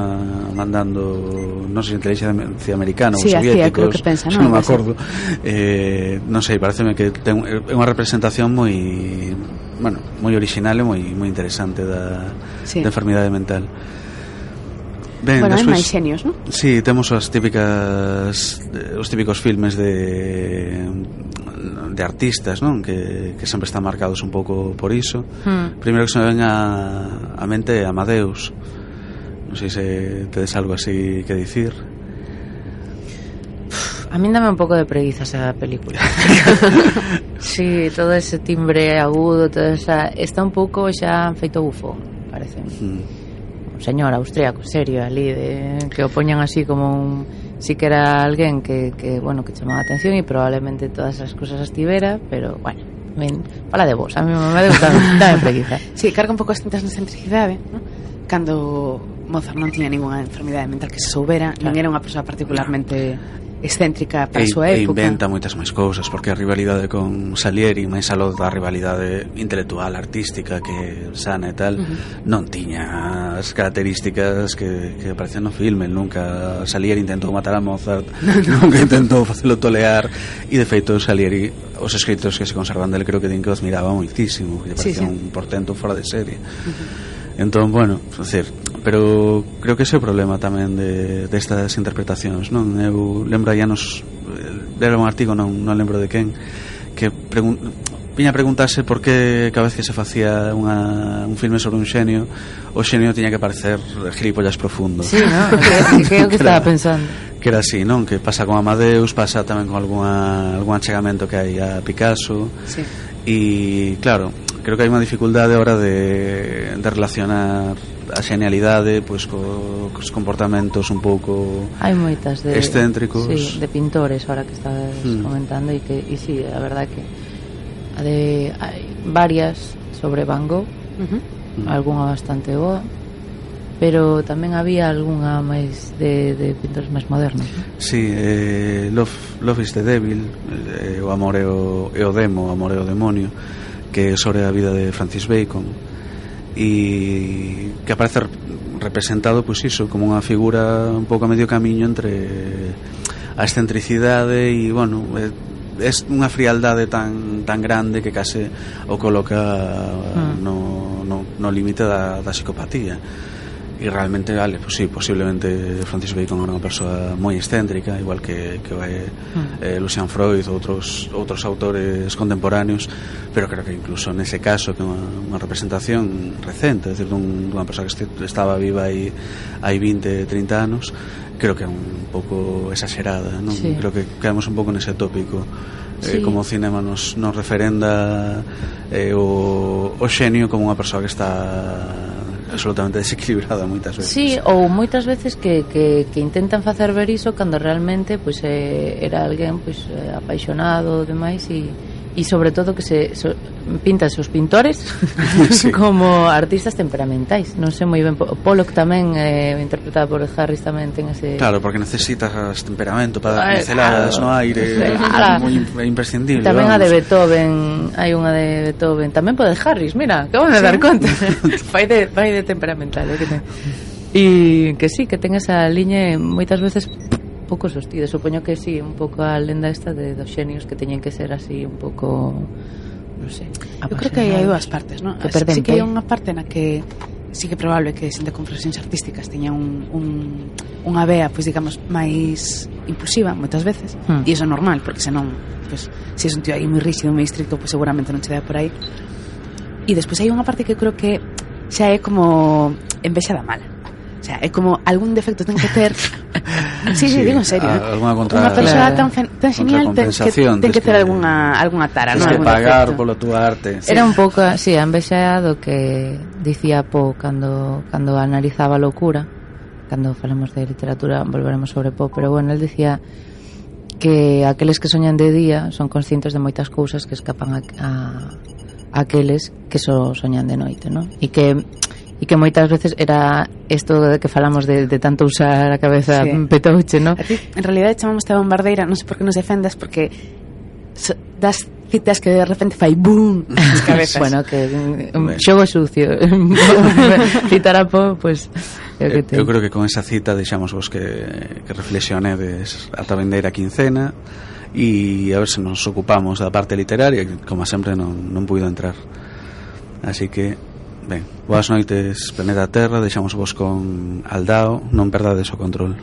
mandando, non sei, inteligencia americana ou soviéticos, que pensa, non me acordo, non sei, pareceme que é unha representación moi original e moi interesante da enfermidade mental. Ben, bueno, despois, hai máis xenios, non? Sí, temos os típicos filmes de artistas, non? Que sempre están marcados un pouco por iso. Primeiro que se me ven a mente Amadeus. Non sei se tedes algo así que dicir. A min dame un pouco de preguiza esa película. Sí, todo ese timbre agudo, toda esa... Está un pouco xa feito bufo, parece. Un señor austríaco, serio, ali, que o poñan así como un... Sí que era alguén que bueno, que chamaba a atención e probablemente todas as cosas as tivera, pero, bueno, fala de vos, a mí me dame preguiza. Sí, carga un pouco as tintas na excentricidade, ¿no? Cando Mozart non tiña ninguna enfermidade mental que se soubera, non era unha persoa particularmente excéntrica para a súa época. E inventa moitas máis cousas, porque a rivalidade con Salieri, máis aló da rivalidade intelectual, artística que sana e tal, non tiña as características que aparecen no filme. Nunca Salieri intentou matar a Mozart, nunca intentou facelo tolear, e de feito Salieri, os escritos que se conservan del, creo que din que os miraba moitísimo, que lle parecía un portento fora de serie. Entón, bueno, decir, pero creo que ese é o problema tamén destas interpretacións, non? Eu lembro aí anos, era un artigo, non lembro de quen, que viña a preguntarse por que cada vez que se facía un filme sobre un xenio, o xenio tiña que parecer gilipollas profundo. Sí, non? Que é o que estaba pensando. Que era así, non? Que pasa con Amadeus, pasa tamén con algún achegamento que hai a Picasso. Sí. E, claro, creo que hai unha dificultade ahora de relacionar a xenialidade pois cos comportamentos un pouco hai moitas excéntricos, sí, de pintores ahora que estás comentando, e sí, a verdade que hai varias sobre Van Gogh, algunha bastante boa, pero tamén había algunha máis de pintores máis modernos, ¿no? Sí, Love is the Devil, o amor é o demo, o amor é o demonio, que é sobre a vida de Francis Bacon, e que aparece representado, pois iso, como unha figura un pouco a medio camiño entre a excentricidade e, bueno, é unha frialdade tan grande que case o coloca no límite da psicopatía. E realmente, vale, pues sí, posiblemente Francis Bacon era unha persoa moi excéntrica, igual que Lucian Freud ou outros autores contemporáneos, pero creo que incluso nese caso, que é unha representación recente, é dicir, dunha persoa que estaba viva hai 20, 30 anos, creo que é un pouco exagerada, non? Sí. Creo que quedamos un pouco nese tópico. Sí. Como o cinema nos referenda o xenio como unha persoa que está absolutamente desequilibrada moitas veces. Sí, ou moitas veces que intentan facer ver iso cando realmente pois era alguén pois apaixonado demais, e sobre todo que pintan os pintores sí. Como artistas temperamentais. Non sei moi ben, Pollock tamén interpretado por Harris tamén ten ese... Claro, porque necesitas temperamento para dar pinceladas no aire, moi imprescindible. Tamén vamos. A de Beethoven, hai unha de Beethoven, tamén pode Harris, mira, acabo de dar conta. vai de temperamental, que ten. E que sí, que ten esa liña moitas veces pouco sostida. Supoño que sí, un pouco a lenda esta dos xenios que teñen que ser así un pouco, non sei, eu creo que hai dúas partes, non? Sí que hai unha parte na que sí que é probable que xente con profesións artísticas teña unha vea, pois digamos, máis impulsiva moitas veces, e iso é normal, porque senón, pois, se é un tío aí moi rígido, moi estricto, pois seguramente non che dá por aí. E despois hai unha parte que creo que xa é como envexa da mala. O sea, é como algún defecto ten que ter. Sí, digo en serio. Unha persoa tan genial ten que ter algunha tara, non? Tens que pagar polo túa arte. Era un pouco, sí, a envexa do que dicía Poe cando analizaba a locura. Cando falamos de literatura volveremos sobre Poe, pero bueno, él decía que aqueles que soñan de día son conscientes de moitas cousas que escapan a aqueles que só soñan de noite, non? E que moitas veces era isto de que falamos de tanto usar a cabeza petouche, ¿no? En realidad chamamos a bombardeira, non sei por que nos defendas, porque das citas que de repente fai boom nas cabezas. Bueno, que xogo sucio. Citar a Poe, pues eu creo que con esa cita deixamos vos que reflexionedes ata vendeira quincena, e a ver se nos ocupamos da parte literaria, que como sempre non puido entrar. Así que ben, boas noites, Planeta Terra. Deixamos vos con Aldao, non perdades o control.